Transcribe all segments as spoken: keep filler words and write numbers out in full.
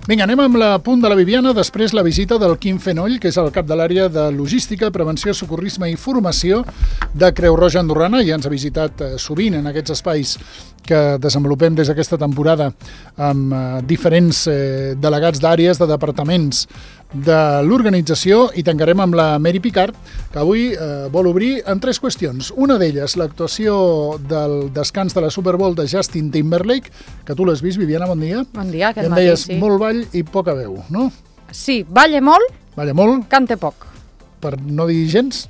Vinga, anem amb la punt de la Viviana, després la visita del Quim Fenoll, que és el cap de l'àrea de Logística, Prevenció, Socorrisme i Formació de Creu Roja Andorrana, i ens ha visitat eh, sovint en aquests espais que desenvolupem des d'aquesta temporada amb eh, diferents eh, delegats d'àrees, de departaments de l'organització, i tancarem amb la Mary Picard, que avui eh, vol obrir en tres qüestions. Una d'elles, l'actuació del descans de la Super Bowl de Justin Timberlake, que tu l'has vist, Viviana, bon dia. Bon dia, aquest matí, sí. Em deies molt ball i poca veu, no? Sí, balla molt, balla molt, canta poc. Per no dir gens?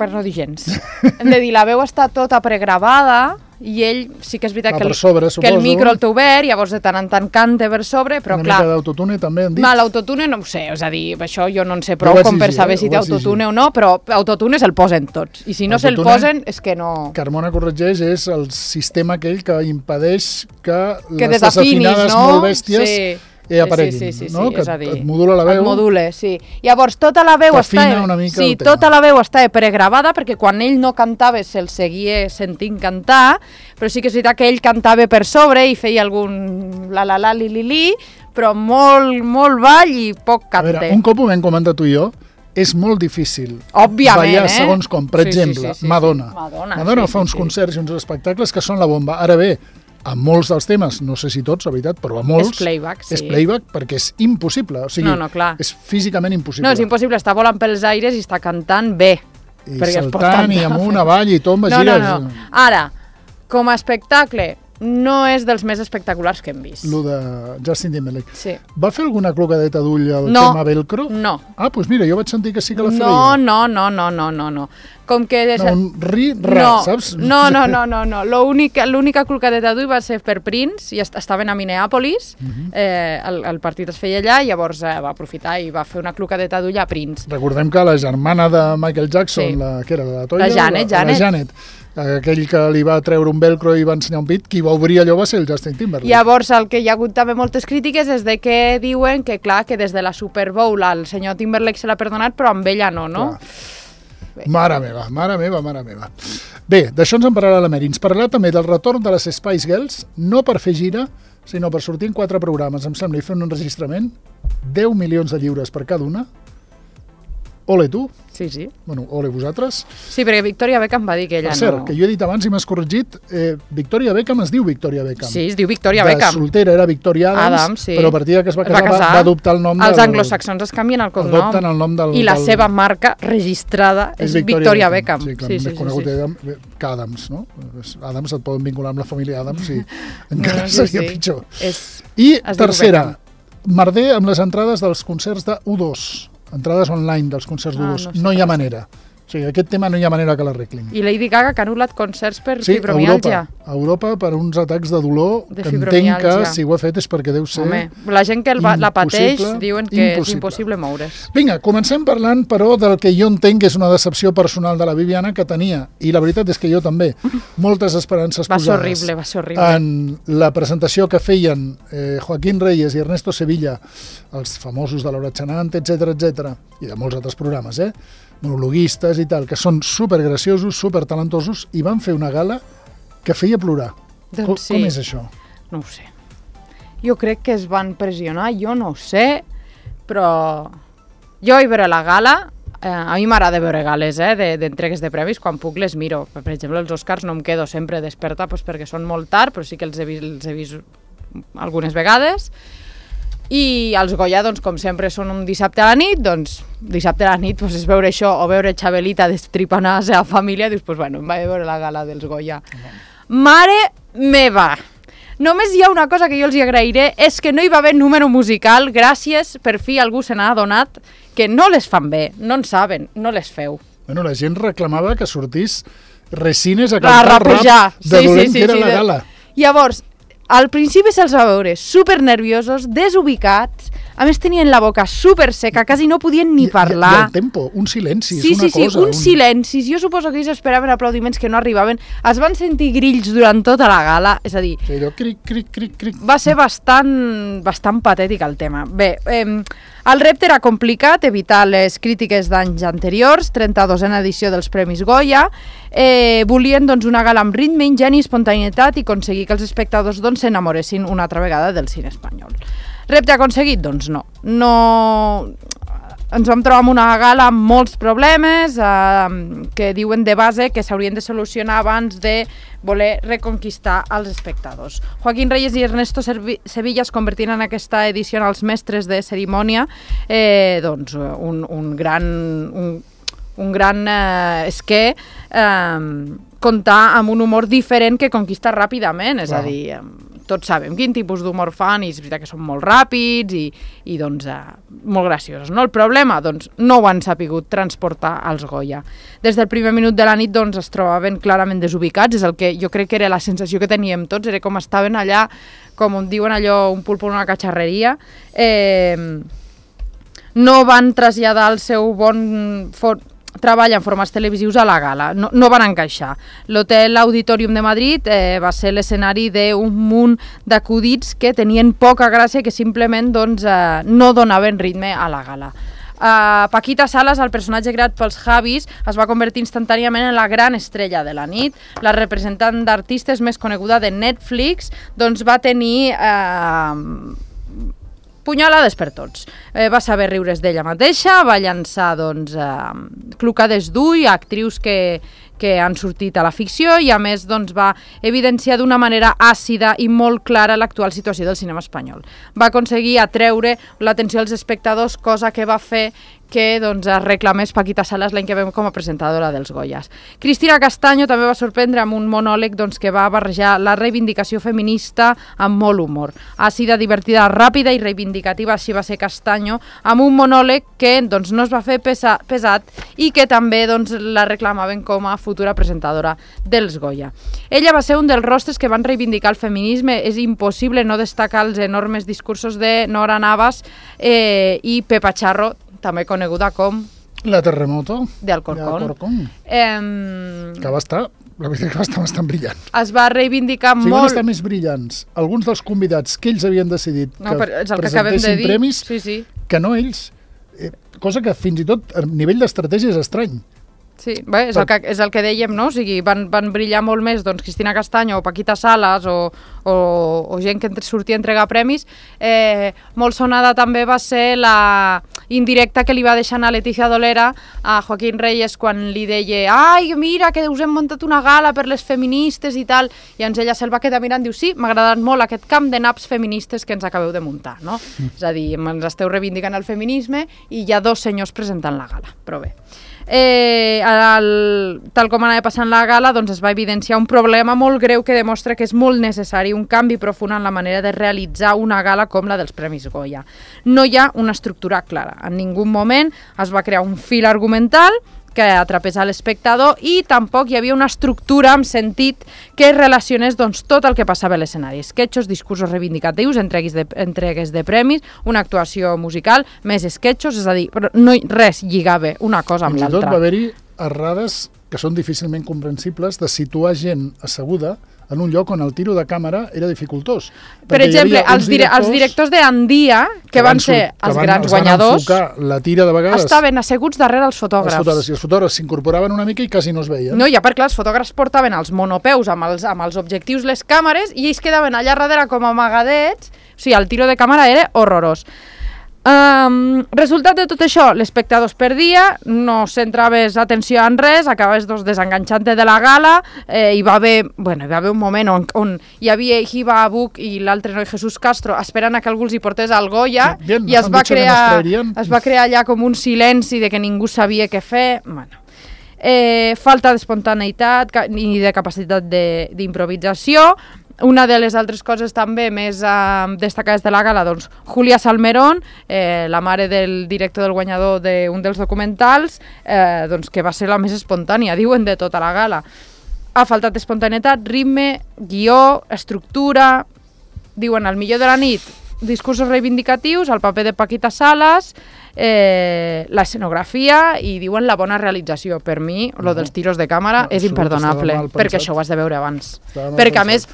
Per no dir gens. Hem de dir, la veu està tota pregravada i ell sí que és veritat Va que el, sobre, que el micro el té obert, llavors de tant en tant canta per sobre, però Una clar... Una mica d'autotune també han dit? Ma, l'autotune no ho sé, és a dir, això jo no en sé prou com per saber eh? si té autotune o no, però autotune se'l posen tots, i si no se'l posen és que no... Carmona corregeix, és el sistema aquell que impedeix que, que les desafinades no? molt bèsties... Sí. i apareguin, sí, sí, sí, no? sí, Que és a dir, et modula la veu. Et modula, sí. Llavors, tota la veu està... una mica sí, tota la veu està pregravada, perquè quan ell no cantava se'l seguia sentint cantar, però sí que és veritat que ell cantava per sobre i feia algun la la la li li li, però molt, molt ball i poc cante. A veure, un cop ho vam comentar tu i jo, és molt difícil Òbviament, ballar eh? segons com, per sí, exemple, sí, sí, sí, Madonna. Sí. Madonna, Madonna sí, fa sí, uns sí. concerts i uns espectacles que són la bomba. Ara bé, a molts dels temes, no sé si tots, la veritat, però a molts... És playback, sí. És playback perquè és impossible. O sigui, no, no, clar. és físicament impossible. No, és impossible, està volant pels aires i està cantant bé. I saltant i amunt, avall i tomba, no, gires... No, no, Ara, com a espectacle, no és dels més espectaculars que hem vist. Lo de Justin Timberlake. Sí. Va fer alguna clocadeta d'ull al no, tema velcro? No. Ah, doncs mira, jo vaig sentir que sí que la feia. No, no, no, no, no, no, no. Com que... No, un ri-ra, no, saps? No, no, no, no, no. L'única clocadeta d'ull va ser per Prince, i estaven a Minneapolis, uh -huh. eh, el, el partit es feia allà, i llavors eh, va aprofitar i va fer una clocadeta d'ull a Prince. Recordem que la germana de Michael Jackson, sí. la, que era la Toya? La Janet, la, Janet. La Janet. Aquell que li va treure un velcro i va ensenyar un pit, qui va obrir allò va ser el Justin Timberlake. Llavors, el que hi ha hagut també moltes crítiques és de que diuen que, clar, que des de la Super Bowl el senyor Timberlake se l'ha perdonat, però amb ella no, no? Clar. Mare meva, mare meva, mare meva. Bé, d'això ens en parlarà la Mary. Ens parlarà també del retorn de les Spice Girls, no per fer gira, sinó per sortir en quatre programes, em sembla, i fer un enregistrament, deu milions de lliures per cada una. Ole tu. Sí, sí. Bueno, ole vosaltres. Sí, perquè Victoria Beckham va dir que ella per cert, no... que jo he dit abans i m'has corregit, eh, Victoria Beckham es diu Victoria Beckham. Sí, es diu Victoria Beckham. De soltera era Victoria Adams, Adams sí. Però a partir que es va casar, va, casar. va, va adoptar el nom Els del... anglosaxons es canvien el cognom. Adopten el nom del... I la del... seva marca registrada és, és Victoria, Victoria Beckham. Beckham. Sí, clar, sí, més sí, conegut sí, sí. que Adams, no? Adams et poden vincular amb la família Adams i encara no, sí, seria sí. pitjor. És... I tercera, merder amb les entrades dels concerts de U dos. Entrades online dels concerts d'U dos. Ah, no, no hi ha manera. O sigui, aquest tema no hi ha manera que l'arreglin. I Lady Gaga que ha anul·lat concerts per sí, fibromialgia. Sí, a Europa, per uns atacs de dolor, de que entenc que si ho ha fet és perquè deu ser... Home, la gent que el va, la pateix diuen que impossible. És impossible moure's. Vinga, comencem parlant, però, del que jo entenc que és una decepció personal de la Viviana, que tenia, i la veritat és que jo també, moltes esperances va posades ser horrible, va ser horrible. en la presentació que feien eh, Joaquín Reyes i Ernesto Sevilla, els famosos de l'Hora Chanant, etcètera, etcètera, i de molts altres programes, eh? monologuistes i tal, que són supergraciosos, supertalentosos, i van fer una gala que feia plorar. Doncs com, sí. com és això? No ho sé. Jo crec que es van pressionar, jo no ho sé, però jo hi veure la gala, eh, a mi m'agrada veure gales eh, d'entregues de, de premis, quan puc les miro. Per exemple, els Oscars no em quedo sempre desperta pues, perquè són molt tard, però sí que els he vist, els he vist algunes vegades. I els Goya, doncs, com sempre, són un dissabte a la nit, doncs, dissabte a la nit doncs, és veure això, o veure Xabelita destripant a la seva família, dius, doncs, bueno, em vaig veure la gala dels Goya. No. Mare meva! Només hi ha una cosa que jo els hi agrairé, és que no hi va haver número musical, gràcies, per fi algú se n'ha adonat que no les fan bé, no en saben, no les feu. Bueno, la gent reclamava que sortís Resines a cantar a rapejar. Rap de sí, dolent sí, sí, que era sí, la gala. De... Llavors, al principi se'ls va veure super nerviosos, desubicats, a més tenien la boca super seca, quasi no podien ni parlar. I, i el tempo, un silenci, sí, és una sí, cosa. Sí, uns un... silencis. Jo suposo que ells esperaven aplaudiments que no arribaven. Es van sentir grills durant tota la gala, és a dir... Sí, allò, cric, cric, cric, cric. Va ser bastant, bastant patètic el tema. Bé, eh, el repte era complicat, evitar les crítiques d'anys anteriors, trenta-dosena edició dels Premis Goya. Eh, volien doncs, una gala amb ritme, ingeni, espontaneïtat i aconseguir que els espectadors doncs, s'enamoressin una altra vegada del cine espanyol. Repte aconseguit? Doncs no. No... Ens vam trobar amb una gala amb molts problemes eh, que diuen de base que s'haurien de solucionar abans de voler reconquistar els espectadors. Joaquín Reyes i Ernesto Sevilla es convertien en aquesta edició en els mestres de cerimònia, eh, doncs un, un gran... Un, un gran eh, és que eh, comptar amb un humor diferent que conquista ràpidament, és Clar. a dir, eh, tots sabem quin tipus d'humor fan i és veritat que són molt ràpids i, i doncs, eh, molt graciosos. No? El problema, doncs, no ho han sapigut transportar als Goya. Des del primer minut de la nit doncs, es trobaven clarament desubicats, és el que jo crec que era la sensació que teníem tots, era com estaven allà, com diuen allò, un pulpo en una catxarreria, eh, no van traslladar el seu bon... For treball en formats televisius a la gala, no, no van encaixar. L'Hotel Auditorium de Madrid eh, va ser l'escenari d'un munt d'acudits que tenien poca gràcia i que simplement doncs, eh, no donaven ritme a la gala. Uh, Paquita Salas, el personatge creat pels Javis, es va convertir instantàniament en la gran estrella de la nit. La representant d'artistes més coneguda de Netflix doncs, va tenir... Uh, punyalades per tots. Eh, va saber riure's d'ella mateixa, va llançar doncs, eh, clocades d'ull a actrius que, que han sortit a la ficció i a més doncs, va evidenciar d'una manera àcida i molt clara l'actual situació del cinema espanyol. Va aconseguir atreure l'atenció als espectadors, cosa que va fer que doncs, es reclamés Paquita Salas l'any que vam com a presentadora dels Goyas. Cristina Castaño també va sorprendre amb un monòleg doncs, que va barrejar la reivindicació feminista amb molt humor. Àcida, divertida, ràpida i reivindicativa, així va ser Castaño, amb un monòleg que doncs, no es va fer pesa, pesat i que també doncs, la reclamaven com a futura presentadora dels Goya. Ella va ser un dels rostres que van reivindicar el feminisme. És impossible no destacar els enormes discursos de Nora Navas eh, i Pepa Charro, també coneguda com... La Terremoto. De Alcorcón. Eh, que va estar, la veritat que va estar bastant brillant. Es va reivindicar o sigui, molt... van estar més brillants alguns dels convidats que ells havien decidit no, que, que presentessin de premis sí, sí. que no ells. Eh, cosa que fins i tot a nivell d'estratègia és estrany. Sí, bé, és, el que, és el que dèiem, no? O sigui, van, van brillar molt més doncs, Cristina Castaño o Paquita Salas o, o, o gent que sortia a entregar premis. Eh, molt sonada també va ser la indirecta que li va deixar a Leticia Dolera a Joaquín Reyes quan li deia ai, mira, que us hem muntat una gala per les feministes i tal, i llavors ella se'l va quedar mirant i diu, sí, m'ha agradat molt aquest camp de naps feministes que ens acabeu de muntar, no? Mm. És a dir, ens esteu reivindicant el feminisme i hi ha dos senyors presentant la gala, però bé. Eh, el, tal com anava passant la gala, doncs es va evidenciar un problema molt greu que demostra que és molt necessari un canvi profund en la manera de realitzar una gala com la dels Premis Goya. No hi ha una estructura clara. En ningú moment es va crear un fil argumental que atrapés a l'espectador i tampoc hi havia una estructura amb sentit que relacionés doncs, tot el que passava a l'escenari. Esquetxos, discursos reivindicatius, entregues de, entregues de premis, una actuació musical, més esquetxos, és a dir, però no res lligava una cosa amb l'altra. Fins i tot va haver-hi errades que són difícilment comprensibles de situar gent asseguda en un lloc on el tiro de càmera era dificultós. Per exemple, els, dire els directors d'Andia, que, que van ser els van, grans els guanyadors, la tira de vegades, estaven asseguts darrere els fotògrafs. Els fotògrafs, i els fotògrafs s'incorporaven una mica i quasi no es veien. No, ja perquè els fotògrafs portaven els monopeus amb els, amb els objectius, les càmeres, i ells quedaven allà darrere com amagadets. O sigui, el tiro de càmera era horrorós. Um, resultat de tot això, l'espectador es perdia, no centraves atenció en res, acabaves doncs, desenganxant-te de la gala, eh, hi, va haver, bueno, hi va haver un moment on, on hi havia Hiba Abuc i l'altre noi Jesús Castro esperant a que algú els hi portés al Goya, Bien, i es va, crear, es va crear allà com un silenci de que ningú sabia què fer. Bueno, eh, falta d'espontaneïtat i de capacitat d'improvisació. Una de les altres coses també més eh, destacades de la gala, doncs, Julia Salmerón, eh, la mare del director del guanyador d'un dels documentals, eh, doncs, que va ser la més espontània, diuen, de tota la gala. Ha faltat espontaneïtat, ritme, guió, estructura, diuen, el millor de la nit, discursos reivindicatius, el paper de Paquita Salas, eh, l'escenografia i diuen la bona realització. Per mi, no. Lo dels tiros de càmera no, és imperdonable, perquè això ho has de veure abans. Perquè, a més,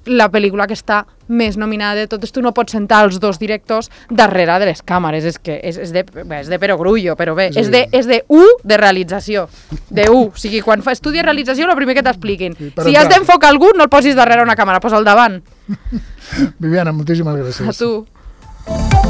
la pel·lícula que està més nominada de totes, tu no pots sentar els dos directors darrere de les càmeres, és que és, és, de, bé, és de perogrullo, però bé, sí. és, de, és de U de realització, de U, o sigui, quan fa estudi de realització, el primer que t'expliquin, si entrar. Has d'enfocar algú, no el posis darrere una càmera, posa al davant. Viviana, moltíssimes gràcies. A tu. setmana.